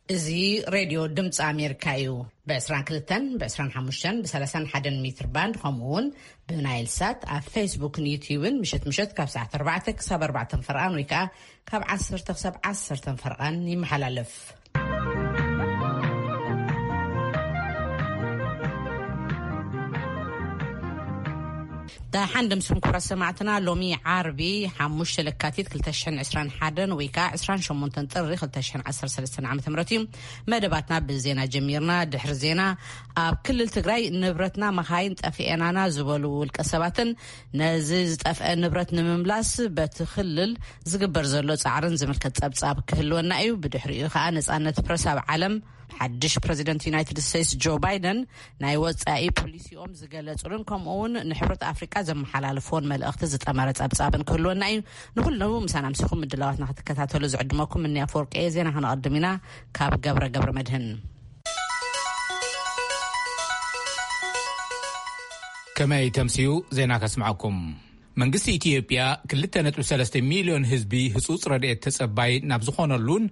እዚ ሬድዮ ድምፂ ኣሜሪካ እዩ። ብ22፣ ብ25፣ ብ31 ሜትር ባንድ፣ ከምኡ እውን ብናይል ሳት ኣብ ፌስቡክን ዩትዩብን ምሸት ምሸት ካብ ሰዓት ኣርባዕተ ክሳብ ኣርባዕተ ፈርቓን ወይ ከዓ ካብ ዓሰርተ ክሳብ ዓሰርተ ፈርቓን ይመሓላለፍ። ደሓን ደምስኩም ክቡራት ሰማዕትና፣ ሎሚ ዓርቢ ሓሙሽተ ለካቲት ክልተ ሽሕን ዕስራን ሓደን ወይ ከዓ ዕስራን ሸሞንተን ጥሪ ክልተ ሽሕን ዓሰርተ ሰለስተን ዓመተ ምህረት እዩ። መደባትና ብዜና ጀሚርና። ድሕሪ ዜና፣ ኣብ ክልል ትግራይ ንብረትና መኻይን ጠፊኤናና ዝበሉ ውልቀ ሰባትን ነዚ ዝጠፍአ ንብረት ንምምላስ በቲ ክልል ዝግበር ዘሎ ጻዕርን ዝምልከት ጸብጻብ ክህልወና እዩ። ብድሕሪኡ ከዓ ነጻነት ፕረስ ኣብ ዓለም ሓድሽ ፕረዚደንት ዩናይትድ ስቴትስ ጆ ባይደን ናይ ወጻኢ ፖሊሲኦም ዝገለጹሉን ከምኡ እውን ንሕብረት ኣፍሪቃ ዘመሓላልፎን መልእኽቲ ዝጠመረ ጸብጻብን ክህልወና እዩ። ንኩሉ ምሳና ምሲኹም ምድላዋትና ክትከታተሉ ዝዕድመኩም እኒ ኣፈወርቂ እየ። ዜና ክነቐድም ኢና። ካብ ገብረ ገብረ መድህን። ከመይ ተምስዩ ዜና ከስምዐኩም። መንግስቲ ኢትዮጵያ ክልተ ነጥቢ ሰለስተ ሚልዮን ህዝቢ ህጹጽ ረድኤት ተጸባይ ናብ ዝኾነሉን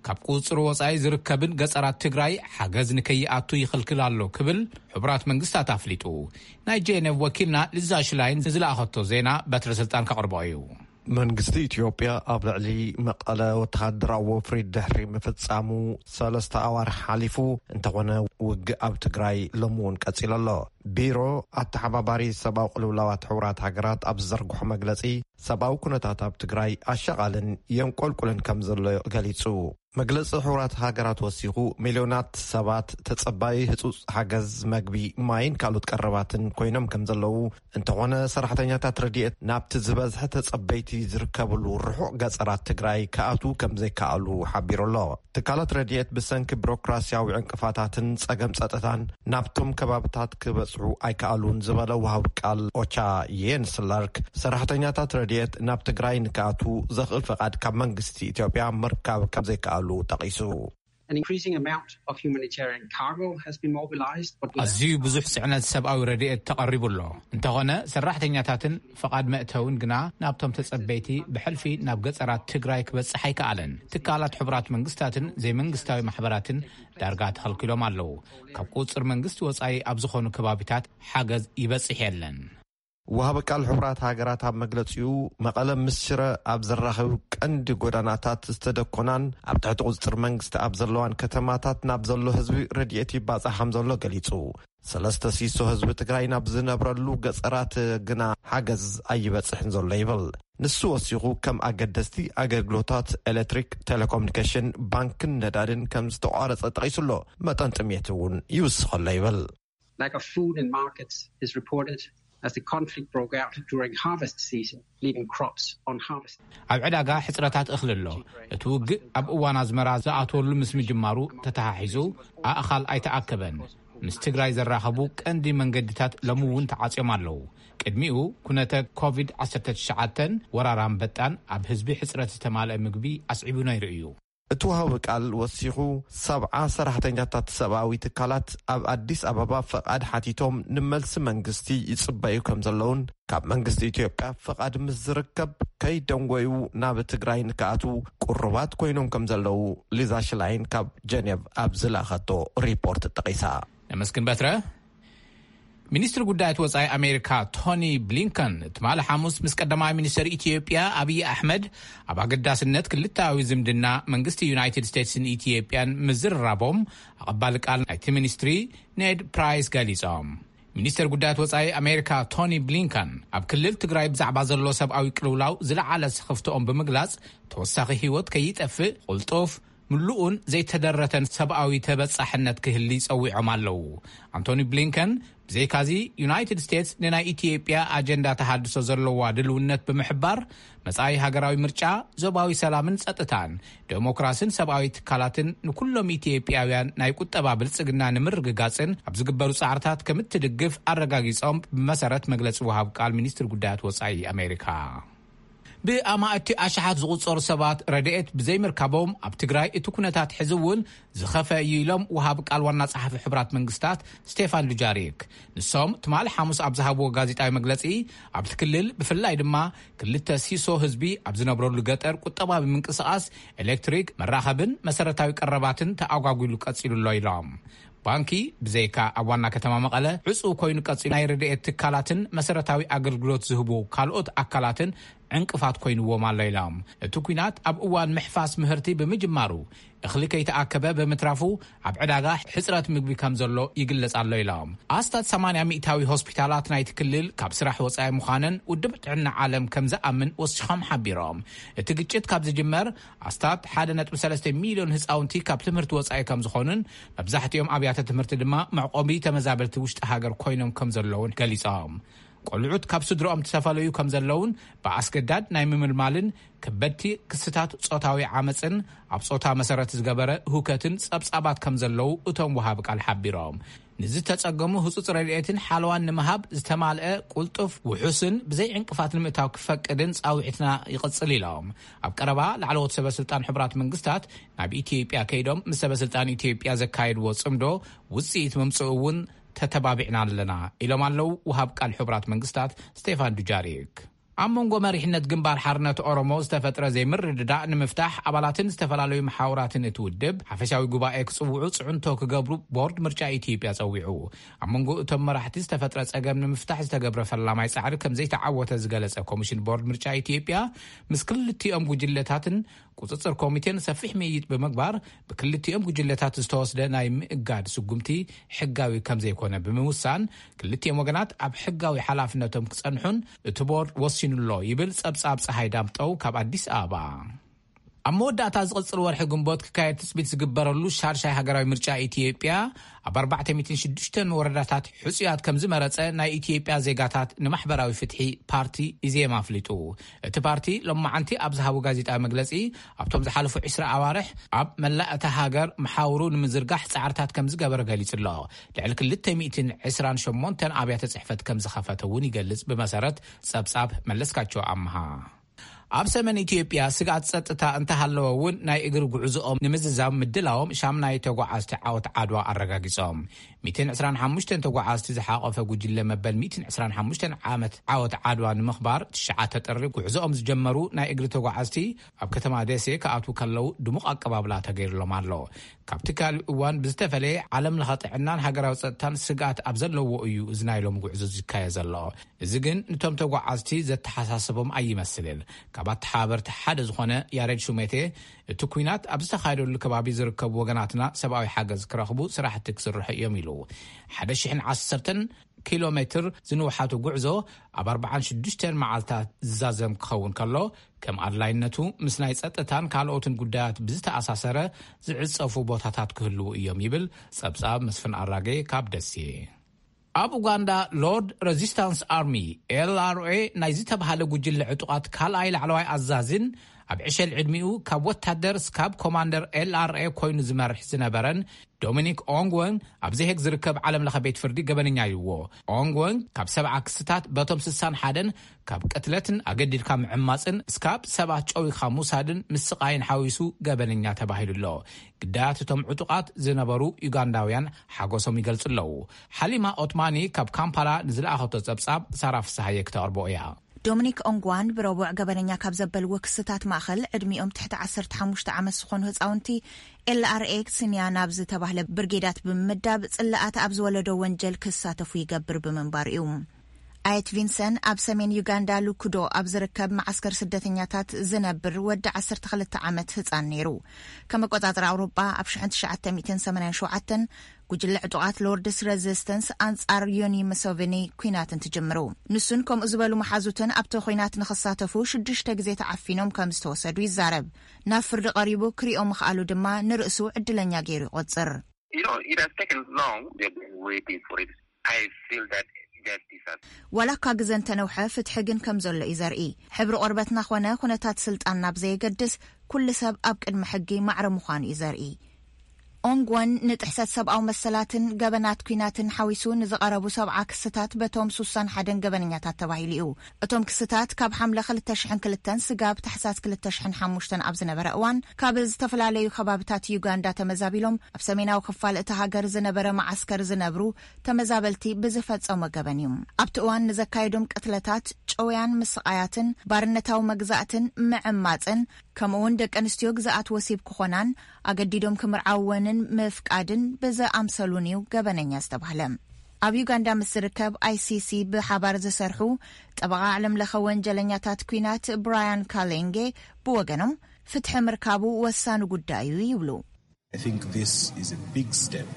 ካብ ቁጽሪ ወጻኢ ዝርከብን ገጸራት ትግራይ ሓገዝ ንከይኣቱ ይኽልክል ኣሎ ክብል ሕቡራት መንግስታት ኣፍሊጡ። ናይ ጄኔቭ ወኪልና ሊዛ ሽላይን ንዝለኣኸቶ ዜና በትረ ስልጣን ከቕርቦ እዩ። መንግስቲ ኢትዮጵያ ኣብ ልዕሊ መቐለ ወተሃደራዊ ወፍሪ ድሕሪ ምፍጻሙ ሰለስተ ኣዋርሕ ሓሊፉ፣ እንተኾነ ውግእ ኣብ ትግራይ ሎሚ እውን ቀጺሉ ኣሎ። ቢሮ ኣተሓባባሪ ሰብኣዊ ቅልውላዋት ሕቡራት ሃገራት ኣብ ዝዘርግሖ መግለጺ፣ ሰብኣዊ ኩነታት ኣብ ትግራይ ኣሻቓልን የንቆልቁልን ከም ዘሎ ገሊጹ። መግለጺ ሕቡራት ሃገራት ወሲኹ፣ ሚልዮናት ሰባት ተጸባዪ ህጹጽ ሓገዝ መግቢ፣ ማይን ካልኦት ቀረባትን ኮይኖም ከም ዘለዉ፣ እንተኾነ ሰራሕተኛታት ረድኤት ናብቲ ዝበዝሐ ተጸበይቲ ዝርከብሉ ርሑቕ ገጸራት ትግራይ ክኣትዉ ከም ዘይከኣሉ ሓቢሩ ኣሎ። ትካላት ረድኤት ብሰንኪ ቢሮክራሲያዊ ዕንቅፋታትን ጸገም ጸጥታን ናብቶም ከባብታት ክበጽሑ ኣይከኣሉን ዝበለ ወሃቢ ቃል ኦቻ የንስ ላርክ፣ ሰራሕተኛታት ረድኤት ናብ ትግራይ ንክኣትዉ ዘኽእል ፈቓድ ካብ መንግስቲ ኢትዮጵያ ምርካብ ከም ዘይከኣሉ ጠቒሱ። An increasing amount of humanitarian cargo has been mobilized, but ኣዝዩ ብዙሕ ጽዕነት ሰብኣዊ ረድኤት ተቐሪቡ ኣሎ። እንተኾነ ሰራሕተኛታትን ፈቓድ መእተውን ግና ናብቶም ተጸበይቲ ብሕልፊ ናብ ገጸራት ትግራይ ክበጽሕ ኣይከኣለን። ትካላት ሕቡራት መንግስታትን ዘይመንግስታዊ ማሕበራትን ዳርጋ ተኸልኪሎም ኣለዉ። ካብ ቁጽር መንግስቲ ወጻኢ ኣብ ዝኾኑ ከባቢታት ሓገዝ ይበጽሕ የለን። ወሃቢ ቃል ሕቡራት ሃገራት ኣብ መግለጺኡ፣ መቐለ ምስ ሽረ ኣብ ዘራኽብ ቀንዲ ጎዳናታት ዝተደኮናን ኣብ ትሕቲ ቁጽጥር መንግስቲ ኣብ ዘለዋን ከተማታት ናብ ዘሎ ህዝቢ ረድኤት ይባጻሕ ከም ዘሎ ገሊጹ። ሰለስተ ሲሶ ህዝቢ ትግራይ ናብ ዝነብረሉ ገጸራት ግና ሓገዝ ኣይበጽሕን ዘሎ ይብል። ንሱ ወሲኹ፣ ከም ኣገደስቲ ኣገልግሎታት ኤሌክትሪክ፣ ቴሌኮሙኒኬሽን፣ ባንክን ነዳድን ከም ዝተቋረጸ ጠቒሱ ኣሎ። መጠን ጥሜት እውን ይውስኽ ኣሎ ይብል። Lack of food in markets is reported as the conflict broke out during harvest season, leaving crops unharvested. ኣብ ዕዳጋ ሕጽረታት እኽሊ ኣሎ። እቲ ውግእ ኣብ እዋን ኣዝመራ ዝኣትወሉ ምስ ምጅማሩ ተተሓሒዙ ኣእኻል ኣይተኣከበን። ምስ ትግራይ ዘራኸቡ ቀንዲ መንገድታት ሎሚ እውን ተዓጽዮም ኣለዉ። ቅድሚኡ ኩነተ ኮቪድ ዓሰርተ ትሽዓተ ወራር ኣንበጣን ኣብ ህዝቢ ሕጽረት ዝተማልአ ምግቢ ኣስዒቡ ነይሩ እዩ። እቲ ወሃቢ ቃል ወሲኹ፣ ሰብዓ ሰራሕተኛታት ሰብኣዊ ትካላት ኣብ ኣዲስ ኣበባ ፈቓድ ሓቲቶም ንመልሲ መንግስቲ ይጽበዩ ከም ዘለውን፣ ካብ መንግስቲ ኢትዮጵያ ፈቓድ ምስ ዝርከብ ከይደንጎዩ ናብ ትግራይ ንክኣትዉ ቅሩባት ኮይኖም ከም ዘለዉ ሊዛ ሽላይን ካብ ጀኔቭ ኣብ ዝለኣኸቶ ሪፖርት ጠቒሳ። ነመስግን በትረ። ሚኒስትሪ ጉዳያት ወጻኢ ኣሜሪካ ቶኒ ብሊንከን ትማሊ ሓሙስ ምስ ቀዳማይ ሚኒስትር ኢትዮጵያ ኣብይ ኣሕመድ ኣብ ኣገዳስነት ክልተኣዊ ዝምድና መንግስቲ ዩናይትድ ስቴትስን ኢትዮጵያን ምዝርራቦም ኣቐባሊ ቃል ናይቲ ሚኒስትሪ ኔድ ፕራይስ ገሊጾም። ሚኒስትር ጉዳያት ወጻኢ ኣሜሪካ ቶኒ ብሊንከን ኣብ ክልል ትግራይ ብዛዕባ ዘሎ ሰብኣዊ ቅልውላው ዝለዓለ ስኽፍትኦም ብምግላጽ፣ ተወሳኺ ህይወት ከይጠፍእ ቅልጡፍ፣ ምሉእን ዘይተደረተን ሰብኣዊ ተበጻሕነት ክህሊ ጸዊዖም ኣለዉ። ኣንቶኒ ብሊንከን፣ ብዘይካዚ ዩናይትድ ስቴትስ ንናይ ኢትዮጵያ ኣጀንዳ ተሃድሶ ዘለዋ ድልውነት ብምሕባር፣ መጻኢ ሃገራዊ ምርጫ፣ ዞባዊ ሰላምን ጸጥታን፣ ዴሞክራስን ሰብኣዊ ትካላትን ንኩሎም ኢትዮጵያውያን ናይ ቁጠባ ብልጽግና ንምርግጋጽን ኣብ ዝግበሩ ጻዕርታት ከም እትድግፍ ኣረጋጊጾም፣ ብመሰረት መግለጺ ወሃብ ቃል ሚኒስትሪ ጉዳያት ወጻኢ ኣሜሪካ። ብኣማእቲ ኣሽሓት ዝቑጸሩ ሰባት ረድኤት ብዘይምርካቦም፣ ኣብ ትግራይ እቲ ኩነታት ሕዚ እውን ዝኸፈ እዩ ኢሎም ወሃቢ ቃል ዋና ጸሓፊ ሕቡራት መንግስታት ስቴፋን ዱጃሪክ። ንሶም ትማሊ ሓሙስ ኣብ ዝሃብዎ ጋዜጣዊ መግለጺ፣ ኣብቲ ክልል ብፍላይ ድማ ክልተ ሲሶ ህዝቢ ኣብ ዝነብረሉ ገጠር ቁጠባዊ ምንቅስቓስ፣ ኤሌክትሪክ፣ መራኸብን መሰረታዊ ቀረባትን ተኣጓጒሉ ቀጺሉ ኣሎ ኢሎም። ባንኪ ብዘይካ ኣብ ዋና ከተማ መቐለ ዕጹው ኮይኑ ቀጺሉ፣ ናይ ረድኤት ትካላትን መሰረታዊ ኣገልግሎት ዝህቡ ካልኦት ኣካላትን ዕንቅፋት ኮይንዎም ኣሎ ኢሎም። እቲ ኲናት ኣብ እዋን ምሕፋስ ምህርቲ ብምጅማሩ፣ እኽሊ ከይተኣከበ ብምትራፉ፣ ኣብ ዕዳጋ ሕጽረት ምግቢ ከም ዘሎ ይግለጽ ኣሎ ኢሎም። ኣስታት ሰማንያ ሚእታዊ ሆስፒታላት ናይቲ ክልል ካብ ስራሕ ወጻኢ ምዃነን ውድብ ጥዕና ዓለም ከም ዝኣምን ወሲኾም ሓቢሮም። እቲ ግጭት ካብ ዝጅመር፣ ኣስታት ሓደ ነጥቢ ሰለስተ ሚልዮን ህጻውንቲ ካብ ትምህርቲ ወጻኢ ከም ዝኾኑን፣ መብዛሕትኦም ኣብያተ ትምህርቲ ድማ መዕቆቢ ተመዛበልቲ ውሽጢ ሃገር ኮይኖም ከም ዘለውን ገሊጾም። ቆልዑት ካብ ስድሮኦም ዝተፈለዩ ከም ዘለውን፣ ብኣስገዳድ ናይ ምምልማልን ከበድቲ ክስታት ጾታዊ ዓመጽን ኣብ ጾታ መሰረት ዝገበረ ህውከትን ጸብጻባት ከም ዘለዉ እቶም ወሃቢ ቃል ሓቢሮም። ንዝተጸገሙ ህጹጽ ረድኤትን ሓለዋን ንምሃብ ዝተማልአ፣ ቁልጡፍ፣ ውሑስን ብዘይ ዕንቅፋት ንምእታው ክፈቅድን ጻውዒትና ይቕጽል ኢሎም። ኣብ ቀረባ ላዕለዎት ሰበ ስልጣን ሕቡራት መንግስታት ናብ ኢትዮጵያ ከይዶም ምስ ሰበ ስልጣን ኢትዮጵያ ዘካየድዎ ጽምዶ ውጽኢት ምምጽኡ እውን ተተባቢዕና ኣለና ኢሎም ኣለዉ ወሃብ ቃል ሕቡራት መንግስታት ስቴፋን ዱጃሪክ። ኣብ መንጎ መሪሕነት ግንባር ሓርነት ኦሮሞ ዝተፈጥረ ዘይምርድዳእ ንምፍታሕ፣ ኣባላትን ዝተፈላለዩ መሓውራትን እቲ ውድብ ሓፈሻዊ ጉባኤ ክጽውዑ ጽዕንቶ ክገብሩ ቦርድ ምርጫ ኢትዮጵያ ጸዊዑ። ኣብ መንጎ እቶም መራሕቲ ዝተፈጥረ ጸገም ንምፍታሕ ዝተገብረ ፈላማይ ጻዕሪ ከም ዘይተዓወተ ዝገለጸ ኮሚሽን ቦርድ ምርጫ ኢትዮጵያ፣ ምስ ክልቲኦም ጉጅለታትን ቁጽጽር ኮሚቴን ሰፊሕ ምይይጥ ብምግባር፣ ብክልቲኦም ጉጅለታት ዝተወስደ ናይ ምእጋድ ስጉምቲ ሕጋዊ ከም ዘይኮነ ብምውሳን፣ ክልቲኦም ወገናት ኣብ ሕጋዊ ሓላፍነቶም ክጸንሑን እቲ ቦርድ ወሲኑሎ ይብል ጸብጻብ ጸሃይ ዳምጠው ካብ ኣዲስ ኣበባ። ኣብ መወዳእታ ዝቕጽል ወርሒ ግንቦት ክካየድ ትጽቢት ዝግበረሉ ሻድሻይ ሃገራዊ ምርጫ ኢትዮጵያ፣ ኣብ ኣርባዕተ ሚእትን ሽዱሽተን ወረዳታት ሕጹያት ከም ዝመረጸ ናይ ኢትዮጵያ ዜጋታት ንማሕበራዊ ፍትሒ ፓርቲ ኢዜማ ኣፍሊጡ። እቲ ፓርቲ ሎማዓንቲ ኣብ ዝሃቦ ጋዜጣዊ መግለጺ፣ ኣብቶም ዝሓለፉ ዕስራ ኣዋርሕ ኣብ መላእ እታ ሃገር መሓውሩ ንምዝርጋሕ ጻዕርታት ከም ዝገበረ ገሊጹ ኣሎ። ልዕሊ ክልተ ሚእትን ዕስራን ሸሞንተን ኣብያተ ጽሕፈት ከም ዝኸፈተ እውን ይገልጽ፣ ብመሰረት ጸብጻብ መለስካቸው ኣምሃ። ኣብ ሰሜን ኢትዮጵያ ስግኣት ጸጥታ እንተሃለወ እውን፣ ናይ እግሪ ጉዕዞኦም ንምዝዛም ምድላዎም ሻምናይ ተጓዓዝቲ ዓወት ዓድዋ ኣረጋጊጾም። ሚእትን ዕስራን ሓሙሽተን ተጓዓዝቲ ዝሓቖፈ ጉጅለ መበል ሚእትን ዕስራን ሓሙሽተን ዓመት ዓወት ዓድዋ ንምኽባር፣ ትሽዓተ ጥሪ ጉዕዞኦም ዝጀመሩ ናይ እግሪ ተጓዓዝቲ ኣብ ከተማ ደሴ ክኣትዉ ከለዉ ድሙቕ ኣቀባብላ ተገይርሎም ኣሎ። ካብቲ ካልእ እዋን ብዝተፈለየ፣ ዓለም ለኸ ጥዕናን ሃገራዊ ጸጥታን ስግኣት ኣብ ዘለዎ እዩ እዚ ናይ ሎሚ ጉዕዞ ዝካየ ዘሎ። እዚ ግን ንቶም ተጓዓዝቲ ዘተሓሳሰቦም ኣይመስልን። ካብ ኣተሓባበርቲ ሓደ ዝኾነ ያሬድ ሹሜቴ፣ እቲ ኲናት ኣብ ዝተኻየደሉ ከባቢ ዝርከቡ ወገናትና ሰብኣዊ ሓገዝ ክረኽቡ ስራሕቲ ክስርሑ እዮም ኢሉ። ሓደ ሽሕን ዓሰርተን ኪሎ ሜትር ዝንውሓቱ ጉዕዞ ኣብ ኣርባዓን ሽዱሽተን መዓልታት ዝዛዘም ክኸውን ከሎ፣ ከም ኣድላይነቱ ምስ ናይ ጸጥታን ካልኦትን ጉዳያት ብዝተኣሳሰረ ዝዕጸፉ ቦታታት ክህልዉ እዮም ይብል ጸብጻብ መስፍን ኣራጌ ካብ ደሴ። ኣብ ኡጋንዳ፣ ሎርድ ረዚስታንስ ኣርሚ፣ ኤል ኣር ኤ፣ ናይ ዝተባህለ ጉጅለ ዕጡቓት ካልኣይ ላዕለዋይ ኣዛዝን ኣብ ዕሸል ዕድሚኡ ካብ ወታደር ስካብ ኮማንደር ኤል ኣር ኤ ኮይኑ ዝመርሕ ዝነበረን ዶሚኒክ ኦንግወን፣ ኣብ ዘሄግ ዝርከብ ዓለም ለኸ ቤት ፍርዲ ገበነኛ ይዎ። ኦንግወን ካብ ሰብዓ ክስታት፣ በቶም ስሳን ሓደን ካብ ቅትለትን ኣገዲድካ ምዕማጽን እስካብ ሰባት ጨዊኻ ምውሳድን ምስቓይን ሓዊሱ ገበነኛ ተባሂሉ ኣሎ። ግዳያት እቶም ዕጡቓት ዝነበሩ ዩጋንዳውያን ሓጎሶም ይገልጹ ኣለዉ። ሓሊማ ኦትማኒ ካብ ካምፓላ ንዝለኣኸቶ ጸብጻብ ሳራ ፍስሃየ ክተቕርቦ እያ። ዶሚኒክ ኦንግዋን ብረቡዕ ገበነኛ ካብ ዘበልዎ ክስታት ማእኸል፣ ዕድሚኦም ትሕቲ ዓሰርተ ሓሙሽተ ዓመት ዝኾኑ ህፃውንቲ ኤል ኣር ኤ ስንያ ናብ ዝተባህለ ብርጌዳት ብምምዳብ፣ ጽላኣት ኣብ ዝወለዶ ወንጀል ክሳተፉ ይገብር ብምንባሩ እዩ። ኣየት ቪንሰን ኣብ ሰሜን ዩጋንዳ ሉኩዶ ኣብ ዝርከብ መዓስከር ስደተኛታት ዝነብር ወዲ ዓሰርተ ክልተ ዓመት ህፃን ነይሩ። ከም ኣቆጻጽራ ኣውሮጳ፣ ኣብ ሽሕን ትሽዓተ ሚእትን ሰማንያን ሸውዓተን ጉጅለ ዕጡቓት ሎርድስ ሬዚስተንስ ኣንጻር ዮኒ ሙሰቨኒ ኲናት እንትጅምሩ፣ ንሱን ከምኡ ዝበሉ መሓዙትን ኣብቲ ኲናት ንኽሳተፉ ሽዱሽተ ግዜ ተዓፊኖም ከም ዝተወሰዱ ይዛረብ። ናብ ፍርዲ ቀሪቡ ክሪኦ ምኽኣሉ ድማ ንርእሱ ዕድለኛ ገይሩ ይቖጽር። You know, it has taken long. They've been waiting for it. I feel that justice has ዋላ እኳ ግዘ እንተነውሐ፣ ፍትሒ ግን ከም ዘሎ እዩ ዘርኢ። ሕብሪ ቆርበትና ኾነ ኩነታት ስልጣን ናብ ዘየገድስ፣ ኩሉ ሰብ ኣብ ቅድሚ ሕጊ ማዕረ ምዃኑ እዩ ዘርኢ። ኦንግወን ንጥሕሰት ሰብኣዊ መሰላትን ገበናት ኲናትን ሓዊሱ ንዝቐረቡ ሰብዓ ክስታት በቶም ሱሳን ሓደን ገበነኛታት ተባሂሉ እዩ። እቶም ክስታት ካብ ሓምለ ክልተ ሽሕን ክልተን ስጋብ ታሕሳስ ክልተ ሽሕን ሓሙሽተን ኣብ ዝነበረ እዋን፣ ካብ ዝተፈላለዩ ከባብታት ዩጋንዳ ተመዛቢሎም ኣብ ሰሜናዊ ክፋል እቲ ሃገር ዝነበረ መዓስከር ዝነብሩ ተመዛበልቲ ብዝፈጸሞ ገበን እዩ። ኣብቲ እዋን ንዘካየዶም ቅትለታት፣ ጨውያን ምስቓያትን፣ ባርነታዊ መግዛእትን ምዕማጽን፣ ከምኡውን ደቂ ኣንስትዮ ግዝኣት ወሲብ ክኾናን ኣገዲዶም ክምርዓወንን ምፍቃድን ብዝኣምሰሉን እዩ ገበነኛ ዝተባህለ። ኣብ ዩጋንዳ ምስ ዝርከብ ኣይ ሲ ሲ ብሓባር ዝሰርሑ ጠበቓ ዓለምለኸ ወንጀለኛታት ኲናት ብራያን ካሌንጌ ብወገኖም፣ ፍትሒ ምርካቡ ወሳኒ ጉዳይ እዩ ይብሉ። I think this is a big step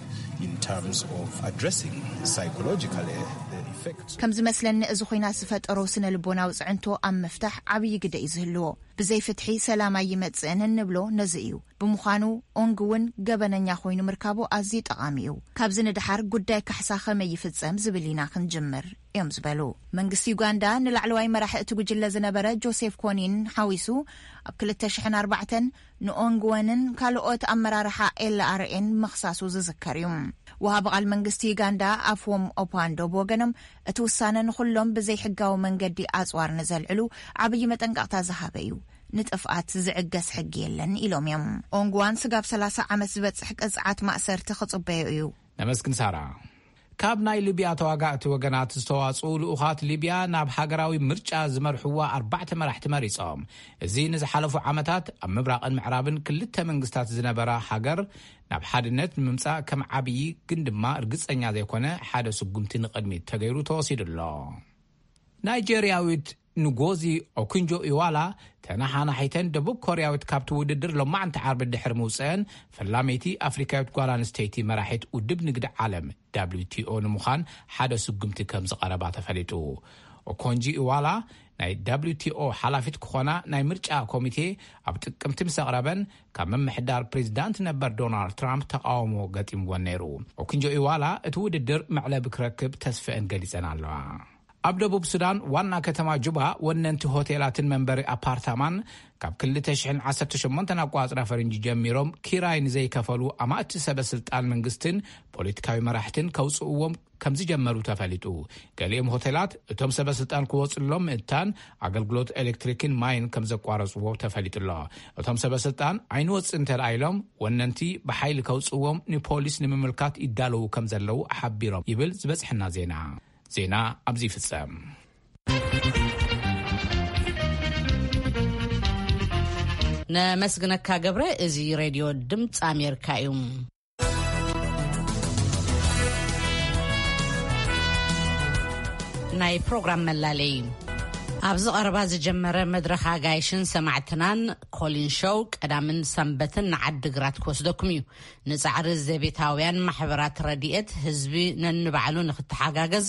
in terms of addressing psychologically the effect. ከም ዝመስለኒ፣ እዚ ኹናት ዝፈጠሮ ስነ ልቦናዊ ጽዕንቶ ኣብ ምፍታሕ ዓብዪ ግደ እዩ ዝህልዎ። ብዘይ ፍትሒ ሰላም ኣይመጽእን እንብሎ ነዚ እዩ። ብምዃኑ፣ ኦንግ እውን ገበነኛ ኮይኑ ምርካቡ ኣዝዩ ጠቓሚ እዩ። ካብዚ ንደሓር ጉዳይ ካሕሳ ከመይ ይፍጸም ዝብል ኢና ክንጅምር እዮም ዝበሉ። መንግስቲ ዩጋንዳ ንላዕለዋይ መራሒ እቲ ጉጅለ ዝነበረ ጆሴፍ ኮኒን ሓዊሱ፣ ኣብ ክልተ ሽሕን ኣርባዕተን ንኦንግወንን ካልኦት ኣመራርሓ ኤል ኣር ኤን ምኽሳሱ ዝዝከር እዩ። ወሃቢ ቃል መንግስቲ ዩጋንዳ ኣፍዎም ኦፓንዶ ብወገኖም፣ እቲ ውሳነ ንኹሎም ብዘይሕጋዊ መንገዲ ኣጽዋር ንዘልዕሉ ዓብዪ መጠንቀቕታ ዝሃበ እዩ። ንጥፍኣት ዝዕገስ ሕጊ የለን ኢሎም እዮም። ኦንግዋን ስጋብ ሰላሳ ዓመት ዝበጽሕ ቅጽዓት ማእሰርቲ ክጽበዮ እዩ። ነመስግን ሳራ። ካብ ናይ ሊብያ ተዋጋእቲ ወገናት ዝተዋጽኡ ልኡኻት ሊብያ ናብ ሃገራዊ ምርጫ ዝመርሕዋ ኣርባዕተ መራሕቲ መሪጾም። እዚ ንዝሓለፉ ዓመታት ኣብ ምብራቕን ምዕራብን ክልተ መንግስታት ዝነበራ ሃገር ናብ ሓድነት ንምምጻእ ከም ዓብዪ ግን ድማ ርግጸኛ ዘይኮነ ሓደ ስጉምቲ ንቕድሚት ተገይሩ ተወሲዱ ኣሎ። ናይጄርያዊት ንጎዚ ኦኩንጆ ኢዋላ ተነሓናሒተን ደቡብ ኮርያዊት ካብቲ ውድድር ሎማዕንቲ ዓርቢ ድሕሪ ምውፅአን፣ ፈላመይቲ ኣፍሪካዊት ጓል ኣንስተይቲ መራሒት ውድብ ንግዲ ዓለም ደብሊው ቲ ኦ ንምዃን ሓደ ስጉምቲ ከም ዝቐረባ ተፈሊጡ። ኦኮንጂ ኢዋላ ናይ ደብሊው ቲ ኦ ሓላፊት ክኾና ናይ ምርጫ ኮሚቴ ኣብ ጥቅምቲ ምስ ኣቕረበን፣ ካብ ምምሕዳር ፕሬዚዳንት ነበር ዶናልድ ትራምፕ ተቃውሞ ገጢምወን ነይሩ። ኦኩንጆ ኢዋላ እቲ ውድድር መዕለቢ ክረክብ ተስፈአን ገሊጸን ኣለዋ። ኣብ ደቡብ ሱዳን ዋና ከተማ ጁባ፣ ወነንቲ ሆቴላትን መንበሪ ኣፓርታማን ካብ ክልተ ሽሕን ዓሰርተ ሸሞንተን ኣቋጽራ ፈረንጂ ጀሚሮም ኪራይ ንዘይከፈሉ ኣማእቲ ሰበ ስልጣን መንግስትን ፖለቲካዊ መራሕትን ከውጽእዎም ከም ዝጀመሩ ተፈሊጡ። ገሊኦም ሆቴላት እቶም ሰበ ስልጣን ክወጽሎም ምእታን ኣገልግሎት ኤሌክትሪክን ማይን ከም ዘቋረጽዎ ተፈሊጡ ኣሎ። እቶም ሰበ ስልጣን ኣይንወጽእ እንተ ደኣ ኢሎም፣ ወነንቲ ብሓይሊ ከውጽእዎም ንፖሊስ ንምምልካት ይዳለዉ ከም ዘለዉ ሓቢሮም ይብል ዝበጽሐና ዜና። ዜና ኣብዚ ይፍጸም። ነመስግነካ ገብረ። እዚ ሬድዮ ድምፂ ኣሜሪካ እዩ። ናይ ፕሮግራም መላለይ። ኣብዚ ቀረባ ዝጀመረ መድረኽ ኣጋይሽን ሰማዕትናን ኮሊን ሾው ቀዳምን ሰንበትን ንዓዲ ግራት ክወስደኩም እዩ። ንጻዕሪ ዘቤታውያን ማሕበራት ረድኤት ህዝቢ ነንባዕሉ ንክተሓጋገዝ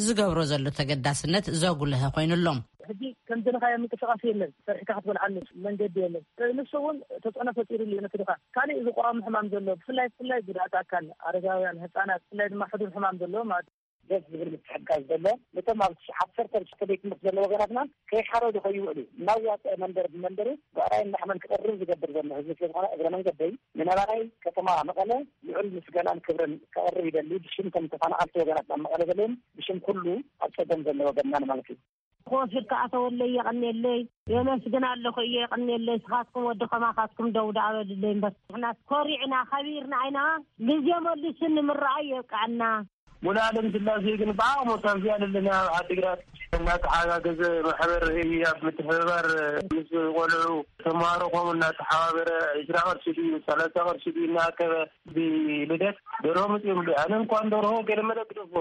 ዝገብሮ ዘሎ ተገዳስነት ዘጉልሀ ኮይኑ ኣሎ። ሕጂ ከምዚ ንኻዮ ምንቅስቃስ የለን፣ ሰርሕካ ክትበልዓሉ መንገዲ የለን። ንሱ እውን ተጽዕኖ ፈጢሩሉ እዩ ነቲ ድኻ። ካሊእ ዝቋሙ ሕማም ዘሎ፣ ብፍላይ ብፍላይ ጉድኣት ኣካል፣ ኣረጋውያን፣ ህጻናት፣ ብፍላይ ድማ ሕዱር ሕማም ዘለዎ ማለት እዩ። ደስ ዝብል ምትሕግጋዝ ዘሎ፣ ነቶም ኣብ ዓሰርተ ሽዱሽተ ቤት ትምህርቲ ዘለዉ ወገናትና ከይሓረዱ ከይውዕሉ፣ እናዋፅአ መንደር ብመንደሩ ብዕራይን ላሕምን ክቕርብ ዝገብር ዘሎ ህዝቢ ስለዝኾነ፣ እግረ መንገደይ ንነባራይ ከተማ መቐለ ልዑል ምስጋናን ክብርን ከቕርብ ይደሊ። ብሽም ከም ተፈናቐልቲ ወገናትና ኣብ መቐለ ዘለውን ብሽም ኩሉ ኣብ ፀገም ዘሎ ወገንና ማለት እዩ። ክወስድ ከኣተወለይ የቐንየለይ፣ የመስግን ኣለኹ እየ የቐንየለይ። ስኻትኩም ወዲ ከማኻትኩም ደው ደኣ በልለይ እምበር፣ ንሕና ኮሪዕና ከቢርና ኢና። ግዜ መሊሱ ንምርኣይ የብቅዐና። ሙሉኣለም ስላሴ ግን ብዓቕሙ ካብዚኣ ዘለና ኣብ ዓዲግራት እናተሓጋገዘ ማሕበር ህያብ ምትሕብባር ምስ ቆልዑ ተምሃሮ ከምኡ እናተሓባበረ ዒስራ ቅርሺ ድዩ ሰላሳ ቅርሺ ድዩ እናኣከበ ብልደት ደርሆ መፅኦም ኣሎ። ኣነ እንኳን ደርሆ ገለ መለ ግደፎ።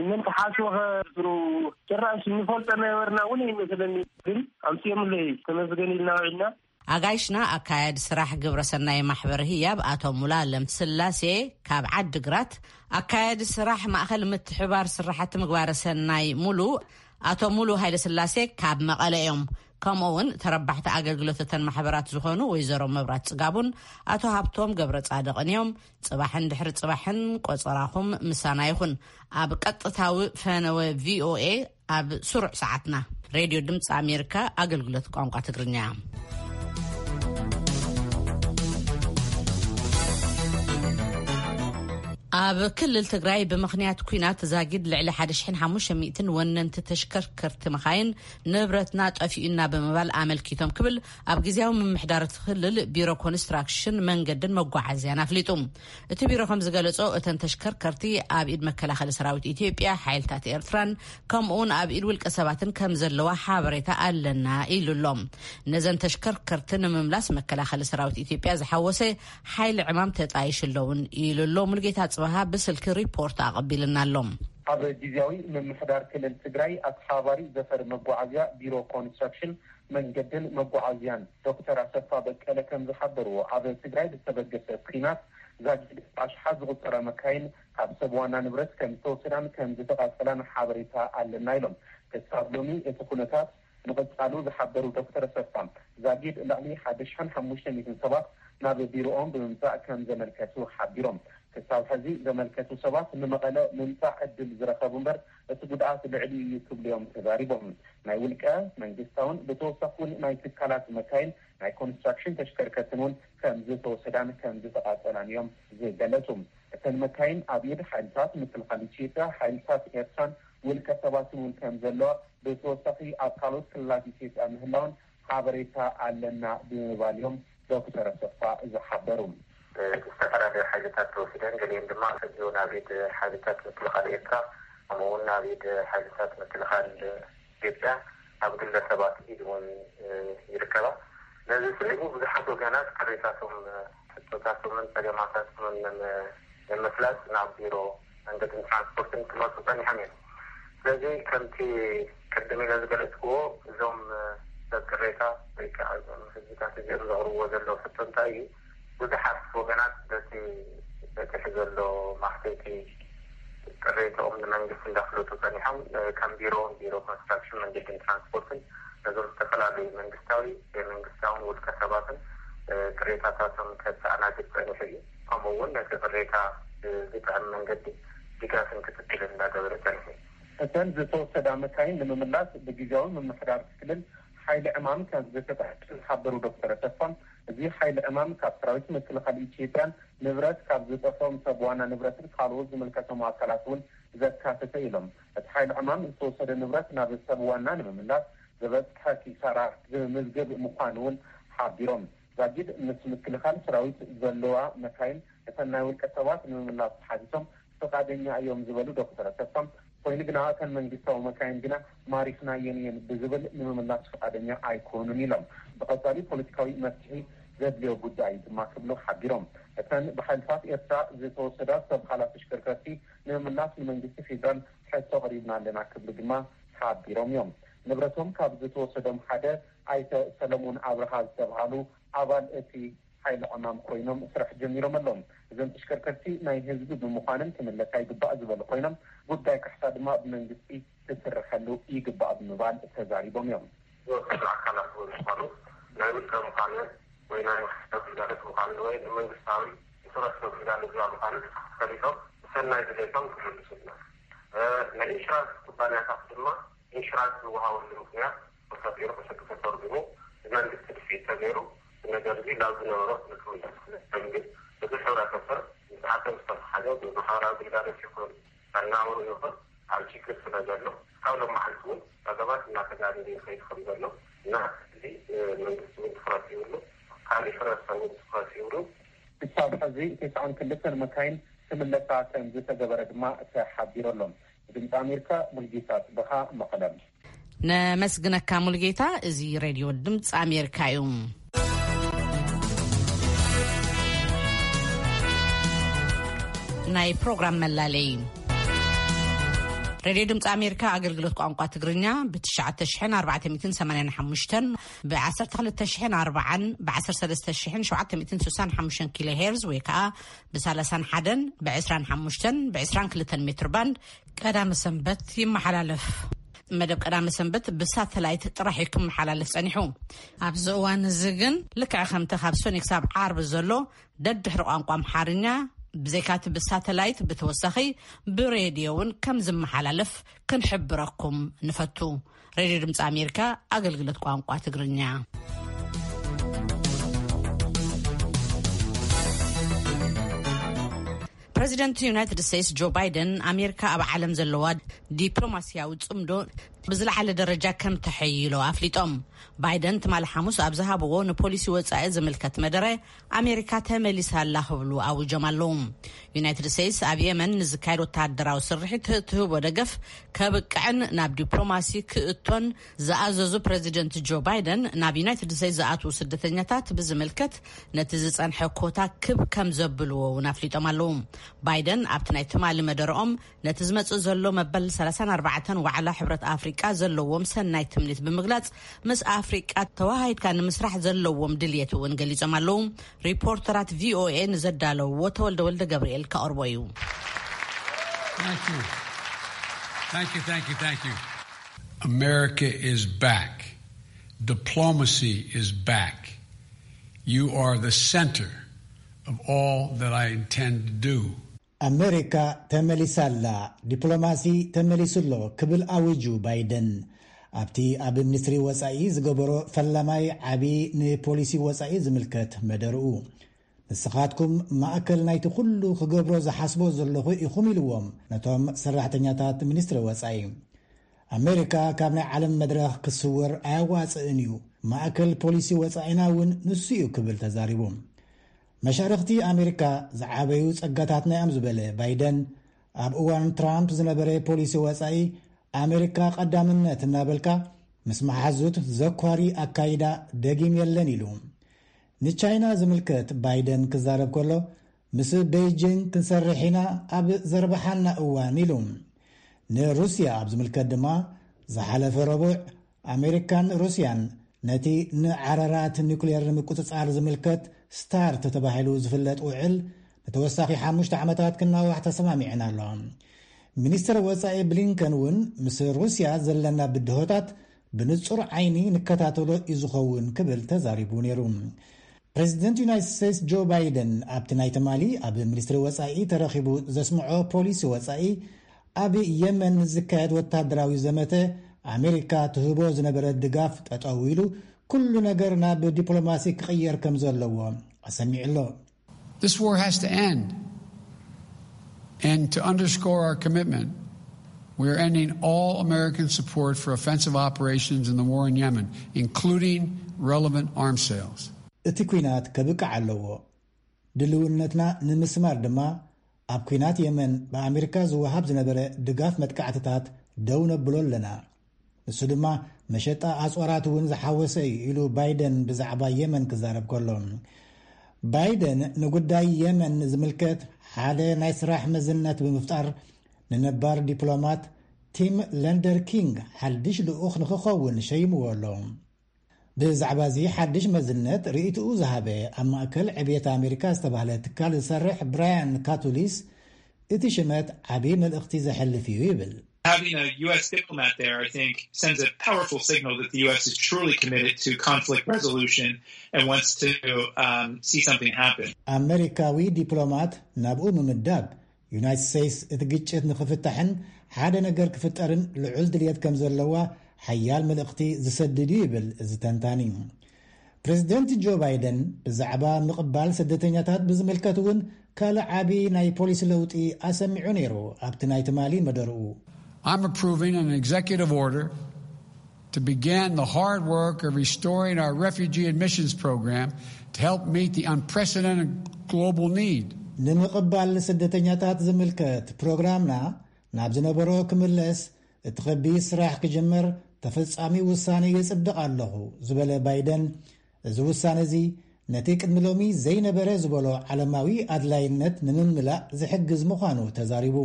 ምን ተሓስቦ ኸ ብሩ ጭራሽ እንፈልጦ እናይበርና እውን ይመስለኒ። ግን ኣምፅኦምለይ ተመስገን ኢልና ውዒልና። ኣጋይሽና ኣካያዲ ስራሕ ግብረ ሰናይ ማሕበር ህያብ ኣቶ ሙሉኣለም ስላሴ ካብ ዓዲ ግራት፣ ኣካያዲ ስራሕ ማእኸል ምትሕባር ስራሕቲ ምግባረ ሰናይ ሙሉ ኣቶ ሙሉ ሃይለ ስላሴ ካብ መቐለ እዮም። ከምኡ እውን ተረባሕቲ ኣገልግሎት እተን ማሕበራት ዝኾኑ ወይዘሮ መብራት ጽጋቡን ኣቶ ሃብቶም ገብረ ጻድቕን እዮም። ጽባሕን ድሕሪ ጽባሕን ቆጸራኹም ምሳና ይኹን። ኣብ ቀጥታዊ ፈነወ ቪ ኦ ኤ ኣብ ስሩዕ ሰዓትና። ሬድዮ ድምፂ ኣሜሪካ ኣገልግሎት ቋንቋ ትግርኛ። ኣብ ክልል ትግራይ ብምኽንያት ኲናት ዛጊድ ልዕሊ ሓደ ሽሕን ሓሙሽተ ሚእትን ወነንቲ ተሽከርከርቲ መኻይን ንብረትና ጠፊኡና ብምባል ኣመልኪቶም ክብል ኣብ ግዜያዊ ምምሕዳር እቲ ክልል ቢሮ ኮንስትራክሽን መንገድን መጓዓዝያን ኣፍሊጡ። እቲ ቢሮ ከም ዝገለጾ እተን ተሽከርከርቲ ኣብ ኢድ መከላኸሊ ሰራዊት ኢትዮጵያ፣ ሓይልታት ኤርትራን ከምኡ እውን ኣብ ኢድ ውልቀ ሰባትን ከም ዘለዋ ሓበሬታ ኣለና ኢሉ ኣሎ። ነዘን ተሽከርከርቲ ንምምላስ መከላኸሊ ሰራዊት ኢትዮጵያ ዝሓወሰ ሓይሊ ዕማም ተጣይሹ ኣለውን ኢሉ ኣሎ። ሙልጌታ ጽበሃ ብስልኪ ሪፖርት ኣቐቢልና ኣሎ። ኣብ ግዜያዊ ምምሕዳር ክልል ትግራይ ኣተሓባባሪ ዘፈር መጓዓዝያ ቢሮ ኮንስትራክሽን መንገድን መጓዓዝያን ዶክተር ኣሰፋ በቀለ ከም ዝሓበርዎ፣ ኣብ ትግራይ ብዝተበገሰ ኲናት ዛጊድ ኣሽሓት ዝቑጸራ መካይን ካብ ሰብ ዋና ንብረት ከም ዝተወሰዳን ከም ዝተቓጸላን ሓበሬታ ኣለና ኢሎም። ክሳብ ሎሚ እቲ ኩነታት ምቕጻሉ ዝሓበሩ ዶክተር ኣሰፋ፣ ዛጊድ ልዕሊ ሓደ ሽሕን ሓሙሽተ ሚእትን ሰባት ናብ ቢሮኦም ብምምጻእ ከም ዘመልከቱ ሓቢሮም። ክሳብ ሕዚ ዘመልከቱ ሰባት ንመቐለ ምምጻእ ዕድል ዝረኸቡ እምበር፣ እቲ ጉድኣት ልዕሊ እዩ ክብሉ እዮም ተዛሪቦም። ናይ ውልቀ፣ መንግስታውን ብተወሳኺ እውን ናይ ትካላት መካይን ናይ ኮንስትራክሽን ተሽከርከርትን እውን ከም ዝተወሰዳን ከም ዝተቓጸላን እዮም ዝገለጹ። እተን መካይን ኣብ ኢድ ሓይልታት ምክልኻል ኢትዮጵያ፣ ሓይልታት ኤርትራን ውልቀ ሰባትን እውን ከም ዘለዋ፣ ብተወሳኺ ኣብ ካልኦት ክልላት ኢትዮጵያ ምህላውን ሓበሬታ ኣለና ብምባል እዮም ዶክተር ኣሰፋ ዝሓበሩ። ዝተፈላለዩ ሓይልታት ተወሲደን፣ ገሊአን ድማ ሕጂ እውን ኣብ ኢድ ሓይልታት ምክልኻል ኤርትራ፣ ከምኡ እውን ኣብ ኢድ ሓይልታት ምክልኻል ኢትዮጵያ፣ ኣብ ግለሰባት ኢድ እውን ይርከባ። ነዚ ስዒቡ ብዙሓት ወገናት ቅሬታቶም፣ ሕቶታቶምን ጸገማታቶምን ንምፍላጥ ናብ ቢሮ መንገድን ትራንስፖርትን ክመፁ ጸኒሖም እዮም። ስለዚ ከምቲ ቅድም ኢለ ዝገለጽክዎ፣ እዞም ሰብ ቅሬታ ወይ ከዓ እዞም ህዝብታት እዚኦም ዘቕርብዎ ዘለዉ ሕቶ እንታይ እዩ? ብዙሓት ወገናት በቲ በፅሒ ዘሎ ማሕተቲ ቅሬታኦም ንመንግስቲ እንዳፍለጡ ጸኒሖም። ከም ቢሮ፣ ቢሮ ኮንስትራክሽን መንገድን ትራንስፖርትን ነዞም ዝተፈላለዩ መንግስታዊ፣ ዘይመንግስታውን ውልቀ ሰባትን ቅሬታታቶም ከሰኣናግድ ጸኒሑ እዩ። ከምኡ እውን ነቲ ቅሬታ ብዝጥዕም መንገዲ ድጋፍን ክትትልን እንዳገበረ ጸኒሑ እዩ። እተን ዝተወሰዳ መካይን ንምምላስ ብግዜያዊ ምምሕዳር ክልል ሓይሊ ዕማም ከም ዝተጣየሸ ዝሓበሩ ዶክተር ኣሰፋ፣ እዚ ሓይሊ ዕማም ካብ ሰራዊት ምክልኻል ኢትዮጵያን ንብረት ካብ ዝጠፍኦም ሰብ ዋና ንብረትን ካልኦት ዝምልከቶም ኣካላት እውን ዘካተተ ኢሎም። እቲ ሓይሊ ዕማም ዝተወሰደ ንብረት ናብ ሰብ ዋና ንምምላስ ዝበፅሐ ኪሳራ ዝምዝግብ ምዃኑ እውን ሓቢሮም። ዛጊድ ምስ ምክልኻል ሰራዊት ዘለዋ መካይን እተን ናይ ውልቀ ሰባት ንምምላስ ተሓቲቶም ፍቓደኛ እዮም ዝበሉ ዶክተር ኣሰፋ፣ ኮይኑ ግና እተን መንግስታዊ መካይን ግና ማሪኽናየን እየን ብዝብል ንምምላስ ፍቓደኛ ኣይኮኑን ኢሎም። ብቐጻሊ ፖለቲካዊ መፍትሒ ዘድልዮ ጉዳይ ድማ ክብሉ ሓቢሮም። እተን ብሓይልታት ኤርትራ ዝተወሰዳ ሰብ ኻላ ተሽከርከርቲ ንምምላስ ንመንግስቲ ፌዴራል ሕቶ ኣቕሪብና ኣለና ክብሉ ድማ ሓቢሮም እዮም። ንብረቶም ካብ ዝተወሰዶም ሓደ ኣይተ ሰለሞን ኣብርሃ ዝተብሃሉ ኣባል እቲ ሓይሊ ዕማም ኮይኖም ስራሕ ጀሚሮም ኣለዉ። እዘን ተሽከርከርቲ ናይ ህዝቢ ብምዃነን ክምለሳ ይግባእ ዝበሉ ኮይኖም፣ ጉዳይ ካሕሳ ድማ ብመንግስቲ ክስርሐሉ ይግባእ ብምባል ተዛሪቦም እዮም። ዝወሰዱ ኣካላት እውን ዝኾኑ ናይ ውልቀ ምዃኑ ወይ ናይ ማሕበራዊ ግልጋሎት ምዃኑ ወይ ንመንግስታዊ ንሰራሕቲ ግልጋሎት ዝባ ምዃኑ ፈሊጦም ብሰናይ ድሌቶም ክምልሱልና፣ እ፣ ናይ ኢንሹራንስ ኩባንያታት ድማ ኢንሹራንስ ዝወሃበሉ ምኽንያት ተፈጢሩ፣ ብሕጊ ተተርጉሙ፣ ብመንግስቲ ድፍኢት ተገይሩ፣ እቲ ነገር እዚ ናብ ዝነበሮ ንክምለስ፣ ግን እዚ ሕብረተሰብ ምስ ዓለም ዝተተሓዘ ብማሕበራዊ ግልጋሎት ይኹን ኣናብሩ ይኹን ኣብ ችግር ስለ ዘሎ፣ ካብ ሎም መዓልቲ እውን ጸገማት እናተጋደደ ይኸይድ ከም ዘሎ እና እዚ፣ እ፣ መንግስቲ እውን ትኹረት ይብሉ፣ ካልእ ሕብረተሰብ እውን ትኹረት ይብሉ። ክሳብ ሕዚ ተስዓን ክልተን መካይን ክምለሳ ከም ዝተገበረ ድማ ተሓቢሩ ኣሎ። ድምፂ ኣሜሪካ፣ ሙልጌታ ጽበኻ፣ መቐለ። ነመስግነካ ሙልጌታ። እዚ ሬድዮ ድምፂ ኣሜሪካ እዩ። ናይ ፕሮግራም መላለይ። ሬድዮ ድምፂ ኣሜሪካ ኣገልግሎት ቋንቋ ትግርኛ ብ ትሽዓተ ሽሕን ኣርባዕተ ሚእትን ሰማንያን ሓሙሽተን፣ ብ ዓሰርተ ክልተ ሽሕን ኣርባዓን፣ ብ ዓሰርተ ሰለስተ ሽሕን ሸውዓተ ሚእትን ስሳን ሓሙሽተን ኪሎ ሄርዝ ወይ ከዓ ብ ሰላሳን ሓደን፣ ብ ዕስራን ሓሙሽተን፣ ብ ዕስራን ክልተን ሜትር ባንድ ቀዳመ ሰንበት ይመሓላለፍ። መደብ ቀዳመ ሰንበት ብሳተላይት ጥራሕ እዩ ክመሓላለፍ ጸኒሑ። ኣብዚ እዋን እዚ ግን ልክዕ ከምቲ ካብ ሰኑይ ክሳብ ዓርቢ ዘሎ ደድሕሪ ቋንቋ ኣምሓርኛ ብዘይካቲ ብሳተላይት ብተወሳኺ ብሬድዮ እውን ከም ዝመሓላለፍ ክንሕብረኩም ንፈቱ። ሬድዮ ድምፂ ኣሜሪካ ኣገልግሎት ቋንቋ ትግርኛ። ፕረዚደንት ዩናይትድ ስቴትስ ጆ ባይደን፣ ኣሜሪካ ኣብ ዓለም ዘለዋ ዲፕሎማስያዊ ጽምዶ ብዝለዓለ ደረጃ ከም ተሐይሎ ኣፍሊጦም። ባይደን ትማሊ ሓሙስ ኣብ ዝሃብዎ ንፖሊሲ ወጻኢ ዝምልከት መደረ፣ ኣሜሪካ ተመሊሳ ኣላ ክብሉ ኣውጆም ኣለዉ። ዩናይትድ ስቴትስ ኣብ የመን ንዝካየድ ወተሃደራዊ ስርሒት ትህቦ ደገፍ ከብቅዕን ናብ ዲፕሎማሲ ክእቶን ዝኣዘዙ ፕረዚደንት ጆ ባይደን፣ ናብ ዩናይትድ ስቴትስ ዝኣትዉ ስደተኛታት ብዝምልከት ነቲ ዝጸንሐ ኮታ ክብ ከም ዘብልዎ እውን ኣፍሊጦም ኣለዉ። ባይደን ኣብቲ ናይ ትማሊ መደረኦም፣ ነቲ ዝመጽእ ዘሎ መበል ሰላሳን ኣርባዕተን ዋዕላ ሕብረት ኣፍሪቃ ዘለዎም ሰናይ ትምኒት ብምግላጽ፣ ምስ ኣፍሪቃ ተዋሃሂድካ ንምስራሕ ዘለዎም ድልየት እውን ገሊጾም ኣለዉ። ሪፖርተራት ቪኦኤ ንዘዳለውዎ ተወልደ ወልደ ገብርኤል ከቕርቦ እዩ። Thank you. Thank you, thank you, thank you. America is back. Diplomacy is back. You are the center of all that I intend to do. ኣሜሪካ ተመሊሳ ኣላ፣ ዲፕሎማሲ ተመሊሱ ኣሎ ክብል ኣዊጁ ባይደን፣ ኣብቲ ኣብ ሚኒስትሪ ወጻኢ ዝገበሮ ፈላማይ ዓቢ ንፖሊሲ ወጻኢ ዝምልከት መደርኡ። ንስኻትኩም ማእከል ናይቲ ኩሉ ክገብሮ ዝሓስቦ ዘለኹ ኢኹም ኢልዎም ነቶም ሰራሕተኛታት ሚኒስትሪ ወጻኢ። ኣሜሪካ ካብ ናይ ዓለም መድረኽ ክስወር ኣያዋጽእን እዩ፣ ማእከል ፖሊሲ ወጻኢና እውን ንሱ እዩ ክብል ተዛሪቡ። መሻርኽቲ ኣሜሪካ ዝዓበዩ ጸጋታትና እዮም ዝበለ ባይደን፣ ኣብ እዋን ትራምፕ ዝነበረ ፖሊሲ ወጻኢ ኣሜሪካ ቀዳምነት እናበልካ ምስ መሓዙት ዘኳሪ ኣካይዳ ደጊም የለን ኢሉ። ንቻይና ዝምልከት ባይደን ክዛረብ ከሎ፣ ምስ ቤይጂንግ ክንሰርሕ ኢና ኣብ ዘርብሓና እዋን ኢሉ። ንሩስያ ኣብ ዝምልከት ድማ፣ ዝሓለፈ ረቡዕ ኣሜሪካን ሩስያን ነቲ ንዓረራት ኒኩሌር ንምቁጽጻር ዝምልከት ስታርት ተባሂሉ ዝፍለጥ ውዕል ንተወሳኺ ሓሙሽተ ዓመታት ክናዋሕ ተሰማሚዐን ኣለዋ። ሚኒስትር ወጻኢ ብሊንከን እውን፣ ምስ ሩስያ ዘለና ብድሆታት ብንጹር ዓይኒ ንከታተሎ እዩ ዝኸውን ክብል ተዛሪቡ ነይሩ። ፕረዚደንት ዩናይትድ ስቴትስ ጆ ባይደን ኣብቲ ናይ ትማሊ ኣብ ሚኒስትሪ ወጻኢ ተረኺቡ ዘስምዖ ፖሊሲ ወጻኢ፣ ኣብ የመን ንዝካየድ ወታደራዊ ዘመተ ኣሜሪካ ትህቦ ዝነበረ ድጋፍ ጠጠው ኢሉ፣ ኩሉ ነገር ናብ ዲፕሎማሲ ክቕየር ከም ዘለዎ ኣሰሚዑ ኣሎ። This war has to end. And to underscore our commitment, we are ending all American support for offensive operations in the war in Yemen, including relevant arms sales. እቲ ኲናት ከብቅዕ ኣለዎ። ድልውነትና ንምስማር ድማ፣ ኣብ ኲናት የመን ብኣሜሪካ ዝወሃብ ዝነበረ ድጋፍ መጥቃዕትታት ደው ነብሎ ኣለና። ንሱ ድማ መሸጣ ኣጽዋራት እውን ዝሓወሰ እዩ ኢሉ ባይደን ብዛዕባ የመን ክዛረብ ከሎ። ባይደን ንጉዳይ የመን ዝምልከት ሓደ ናይ ስራሕ መዝነት ብምፍጣር፣ ንነባር ዲፕሎማት ቲም ለንደር ኪንግ ሓድሽ ልኡኽ ንክኸውን ሸይምዎ ኣሎ። ብዛዕባ እዚ ሓድሽ መዝነት ርእይትኡ ዝሃበ፣ ኣብ ማእከል ዕብየት ኣሜሪካ ዝተባህለ ትካል ዝሰርሕ ብራያን ካቱሊስ፣ እቲ ሽመት ዓቢ መልእኽቲ ዘሕልፍ እዩ ይብል። Having a U S diplomat there, I think, sends a powerful signal that the U S is truly committed to conflict resolution and wants to um, see something happen. ኣመሪካዊ ዲፕሎማት ናብኡ ምምዳብ፣ ዩናይትድ ስቴትስ እቲ ግጭት ንኽፍታሕን ሓደ ነገር ክፍጠርን ልዑል ድልየት ከም ዘለዋ ሓያል መልእኽቲ ዝሰድድ እዩ ይብል እዚ ተንታኒ። ፕሬዚደንት ጆ ባይደን ብዛዕባ ምቕባል ስደተኛታት ብዝምልከት እውን ካልእ ዓቢ ናይ ፖሊሲ ለውጢ ኣሰሚዑ ነይሩ። ኣብቲ ናይ ትማሊ መደርኡ፣ I'm approving an executive order to begin the hard work of restoring our refugee admissions program to help meet the unprecedented global need. ንምቕባል ስደተኛታት ዝምልከት ፕሮግራምና ናብ ዝነበሮ ክምለስ እቲ ከቢድ ስራሕ ክጅምር ተፈጻሚ ውሳነ የጽድቕ ኣለኹ ዝበለ ባይደን፣ እዚ ውሳነ እዚ ነቲ ቅድሚ ሎሚ ዘይነበረ ዝበሎ ዓለማዊ ኣድላይነት ንምምላእ ዝሕግዝ ምዃኑ ተዛሪቡ።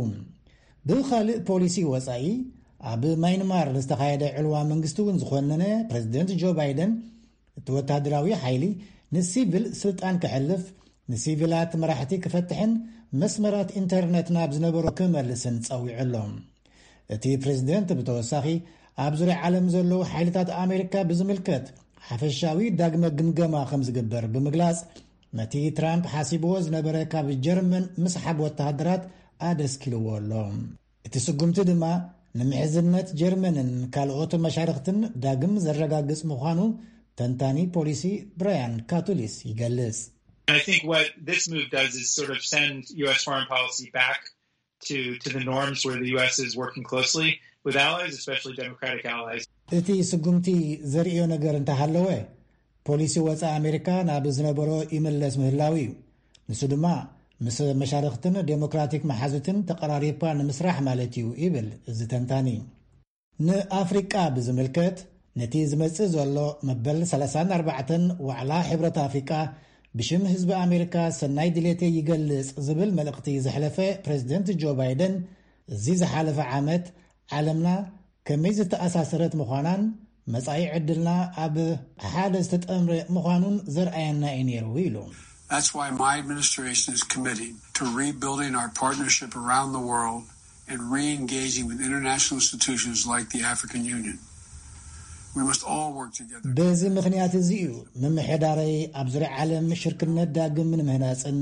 ብኻልእ ፖሊሲ ወጻኢ፣ ኣብ ማይንማር ንዝተኻየደ ዕልዋ መንግስቲ እውን ዝኾነነ ፕሬዚደንት ጆ ባይደን፣ እቲ ወታደራዊ ሓይሊ ንሲቪል ስልጣን ክሕልፍ፣ ንሲቪላት መራሕቲ ክፈትሕን መስመራት ኢንተርነት ናብ ዝነበሮ ክመልስን ጸዊዑ ኣሎ። እቲ ፕሬዚደንት ብተወሳኺ፣ ኣብ ዙርያ ዓለም ዘለዉ ሓይልታት ኣሜሪካ ብዝምልከት ሓፈሻዊ ዳግመ ግምገማ ከም ዝግበር ብምግላጽ፣ ነቲ ትራምፕ ሓሲብዎ ዝነበረ ካብ ጀርመን ምስሓብ ወተሃደራት ኣደስኪልዎ ኣሎ። እቲ ስጉምቲ ድማ ንምሕዝነት ጀርመንን ካልኦት መሻርኽትን ዳግም ዘረጋግጽ ምዃኑ ተንታኒ ፖሊሲ ብራያን ካቱሊስ ይገልጽ። I think what this move does is sort of send U S foreign policy back to, to the norms where the U S is working closely with allies, especially Democratic allies. እቲ ስጉምቲ ዘርእዮ ነገር እንተሃለወ፣ ፖሊሲ ወፃኢ ኣሜሪካ ናብ ዝነበሮ ይምለስ ምህላው እዩ። ንሱ ድማ ምስ መሻርክትን ዴሞክራቲክ መሓዙትን ተቐራሪብካ ንምስራሕ ማለት እዩ ይብል እዚ ተንታኒ። ንኣፍሪቃ ብዝምልከት፣ ነቲ ዝመጽእ ዘሎ መበል ሰላሳን ኣርባዕተን ዋዕላ ሕብረት ኣፍሪቃ ብሽም ህዝቢ ኣሜሪካ ሰናይ ድሌተይ ይገልጽ ዝብል መልእኽቲ ዘሕለፈ ፕሬዚደንት ጆ ባይደን፣ እዚ ዝሓለፈ ዓመት ዓለምና ከመይ ዝተኣሳሰረት ምዃናን መጻኢ ዕድልና ኣብ ሓደ ዝተጠምረ ምዃኑን ዘርኣየና እዩ ነይሩ ኢሉ። That's why my administration is committing to rebuilding our partnership around the world and re-engaging with international institutions like the African Union. We must all work together. በዚ ምኽንያት እዚ እዩ ምምሕዳረይ ኣብ ዙርያ ዓለም ሽርክነት ዳግም ንምህናፅን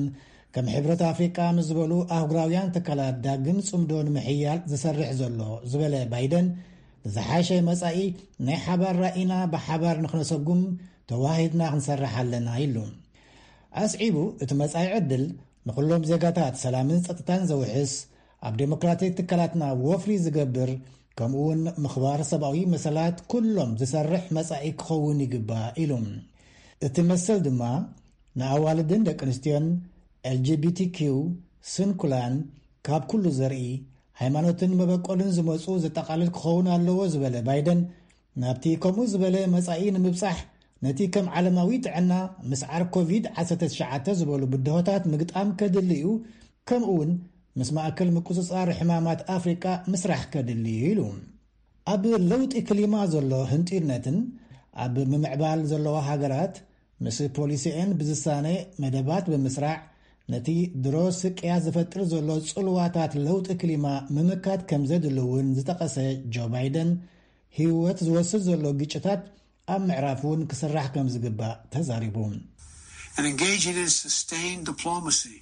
ከም ሕብረት ኣፍሪቃ ምስ ዝበሉ ኣህጉራውያን ትካላት ዳግም ፅምዶ ንምሕያል ዝሰርሕ ዘሎ ዝበለ ባይደን፣ ንዝሓሸ መጻኢ ናይ ሓባር ራኢና ብሓባር ንኽነሰጉም ተዋሂድና ክንሰርሕ ኣለና ኢሉ። ኣስዒቡ፣ እቲ መጻኢ ዕድል ንኹሎም ዜጋታት ሰላምን ጸጥታን ዘውሕስ፣ ኣብ ዴሞክራቲክ ትካላትና ወፍሪ ዝገብር፣ ከምኡውን ምኽባር ሰብኣዊ መሰላት ኩሎም ዝሰርሕ መጻኢ ክኸውን ይግባእ ኢሉ። እቲ መሰል ድማ ንኣዋልድን ደቂ ኣንስትዮን፣ ኤልጂቢቲኪው፣ ስንኩላን፣ ካብ ኩሉ ዘርኢ፣ ሃይማኖትን መበቆልን ዝመጹ ዘጠቓልል ክኸውን ኣለዎ ዝበለ ባይደን፣ ናብቲ ከምኡ ዝበለ መጻኢ ንምብጻሕ ነቲ ከም ዓለማዊ ጥዕና፣ ምስዓር ኮቪድ ዓሰርተ ትሽዓተ ዝበሉ ብድሆታት ምግጣም ከድሊ እዩ፣ ከምኡ እውን ምስ ማእከል ምቁጽጻር ሕማማት ኣፍሪቃ ምስራሕ ከድሊ እዩ ኢሉ። ኣብ ለውጢ ክሊማ ዘሎ ህንጢርነትን ኣብ ምምዕባል ዘለዋ ሃገራት ምስ ፖሊሲኤን ብዝሳነ መደባት ብምስራዕ ነቲ ድሮ ስቅያት ዝፈጥር ዘሎ ጽልዋታት ለውጢ ክሊማ ምምካት ከም ዘድሊ እውን ዝጠቐሰ ጆ ባይደን፣ ህይወት ዝወስድ ዘሎ ግጭታት ኣብ ምዕራፍ እውን ክስራሕ ከም ዝግባእ ተዛሪቡ። And engaging in sustained diplomacy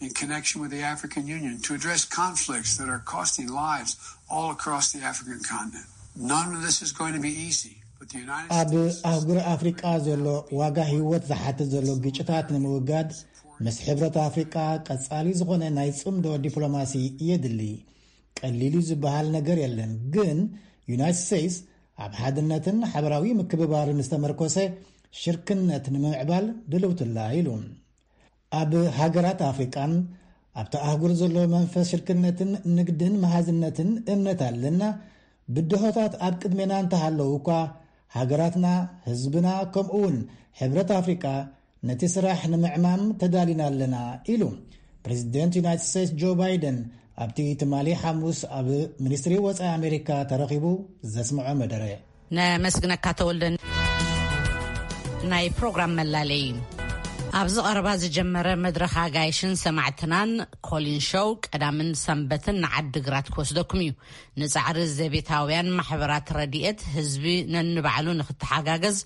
in connection with the African Union to address conflicts that are costing lives all across the African continent. None of this is going to be easy, but the United ኣብ States ኣህጉር ኣፍሪቃ ዘሎ ዋጋ ህይወት ዝሓትት ዘሎ ግጭታት ንምውጋድ ምስ ሕብረት ኣፍሪቃ ቀጻሊ ዝኾነ ናይ ጽምዶ ዲፕሎማሲ የድሊ። ቀሊል እዩ ዝበሃል ነገር የለን፣ ግን ዩናይትድ ስቴትስ ኣብ ሓድነትን ሓበራዊ ምክብባርን ዝተመርኮሰ ሽርክነት ንምምዕባል ድልውትላ ኢሉ። ኣብ ሃገራት ኣፍሪቃን ኣብቲ ኣህጉር ዘሎ መንፈስ ሽርክነትን ንግድን መሃዝነትን እምነት ኣለና። ብድሆታት ኣብ ቅድሜና እንተሃለዉ እኳ፣ ሃገራትና፣ ህዝብና፣ ከምኡ እውን ሕብረት ኣፍሪቃ ነቲ ስራሕ ንምዕማም ተዳሊና ኣለና ኢሉ ፕሬዚደንት ዩናይትድ ስቴትስ ጆ ባይደን ኣብቲ ትማሊ ሓሙስ ኣብ ሚኒስትሪ ወፃኢ ኣሜሪካ ተረኺቡ ዘስምዖ መደረ። ነመስግነካ ተወልደ። ናይ ፕሮግራም መላለይ ኣብዚ ቀረባ ዝጀመረ መድረኽ ኣጋይሽን ሰማዕትናን ኮሊን ሾው ቀዳምን ሰንበትን ንዓዲ ግራት ክወስደኩም እዩ። ንጻዕሪ ዘቤታውያን ማሕበራት ረድኤት ህዝቢ ነንባዕሉ ንክተሓጋገዝ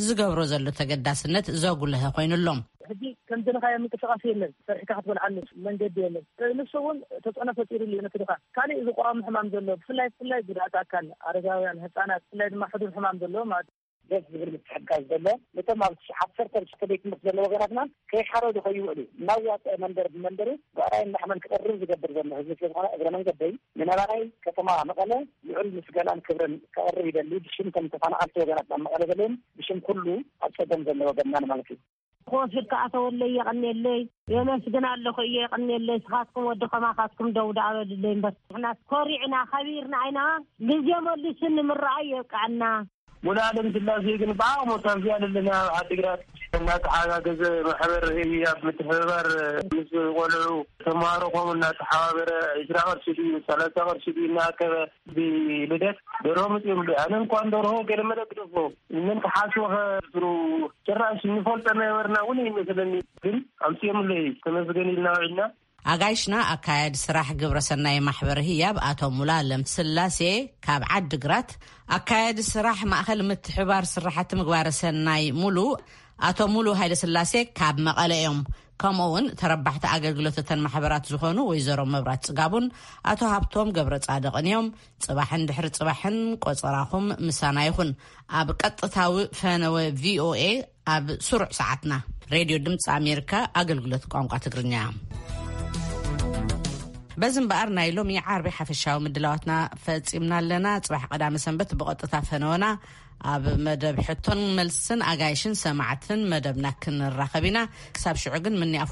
ዝገብሮ ዘሎ ተገዳስነት ዘጉልሀ ኮይኑ ኣሎ። ሕጂ ከምዝደለኻዮ ምንቅስቃስ የለን። ሰሪሕካ ክትበልዓሉ መንገዲ የለን። ንሱ እውን ተፅዕኖ ፈጢሩሉ እዩ ነቲ ድኻ። ካሊእ ዝቋሙ ሕማም ዘሎ ብፍላይ ብፍላይ ጉድኣት ኣካል፣ ኣረጋውያን፣ ህፃናት፣ ብፍላይ ድማ ሕዱር ሕማም ዘለዎ ማለት እዩ። ደስ ዝብል ምትሕግጋዝ ዘሎ ነቶም ኣብ ዓሰርተ ሽዱሽተ ቤት ትምህርቲ ዘለዉ ወገናትና ከይሓረዱ ከይውዕሉ እናዋፀአ መንደር ብመንደሩ ብዕራይን ላሕመን ክቐርብ ዝገብር ዘሎ ህዝቢ ስለዝኾነ እግረ መንገደይ ንነባራይ ከተማ መቐለ ልዑል ምስጋናን ክብርን ከቕርብ ይደሊ። ብሽም ከም ተፈናቐልቲ ወገናትና ኣብ መቐለ ዘለውን ብሽም ኩሉ ኣብ ፀገም ዘሎ ወገንናን ማለት እዩ። ክወስድ ከኣ ተወለይ የቐንየለይ የመስግን ኣለኹ እየ የቐንየለይ። ስኻትኩም ወዲ ከማኻትኩም ደው ደኣ በልለይ እምበር ንሕና ኮሪዕና ከቢርና ኣይና ግዜ መሊሱ ንምረኣይ የብቅዐና። ሙሉኣለም ስላሴ ግን ብዓቕሙ ታንዝያ ዘለና ኣብ ዓዲግራት እናተሓጋገዘ ማሕበር ህያብ ምትሕብባር ምስ ቆልዑ ተምሃሮ ከምኡ እናተሓባበረ ዒስራ ቅርሺ ድዩ ሰላሳ ቅርሺ ድዩ እናኣከበ ብልደት ደርሆ መፅኦምሉ ኣነ እንኳን ደርሆ ገለመለ ግደፎ ምን ተሓስቦ ከብሩ ጭራሽ እንፈልጦ ነበርና እውን ይመስለኒ ግን ኣምፅኦምሉ እዩ ተመስገን ኢልና ውዒልና። ኣጋይሽና ኣካያዲ ስራሕ ግብረ ሰናይ ማሕበር ህያብ ኣቶ ሙሉኣለም ስላሴ ካብ ዓዲ ግራት ኣካያዲ ስራሕ ማእኸል ምትሕባር ስራሕቲ ምግባረ ሰናይ ሙሉ ኣቶ ሙሉ ሃይለ ስላሴ ካብ መቐለ እዮም። ከምኡ እውን ተረባሕቲ ኣገልግሎት እተን ማሕበራት ዝኾኑ ወይዘሮ መብራት ጽጋቡን ኣቶ ሃብቶም ገብረ ጻድቕን እዮም። ጽባሕን ድሕሪ ጽባሕን ቆጸራኹም ምሳና ይኹን። ኣብ ቀጥታዊ ፈነወ ቪኦኤ ኣብ ስሩዕ ሰዓትና። ሬድዮ ድምፂ ኣሜሪካ ኣገልግሎት ቋንቋ ትግርኛ። በዚ እምበኣር ናይ ሎሚ ዓርቢ ሓፈሻዊ ምድላዋትና ፈጺምና ኣለና። ጽባሕ ቀዳመ ሰንበት ብቐጥታ ፈነወና ኣብ መደብ ሕቶን መልስን ኣጋይሽን ሰማዕትን መደብና ክንራኸብ ኢና። ክሳብ ሽዑ ግን ምንያፍ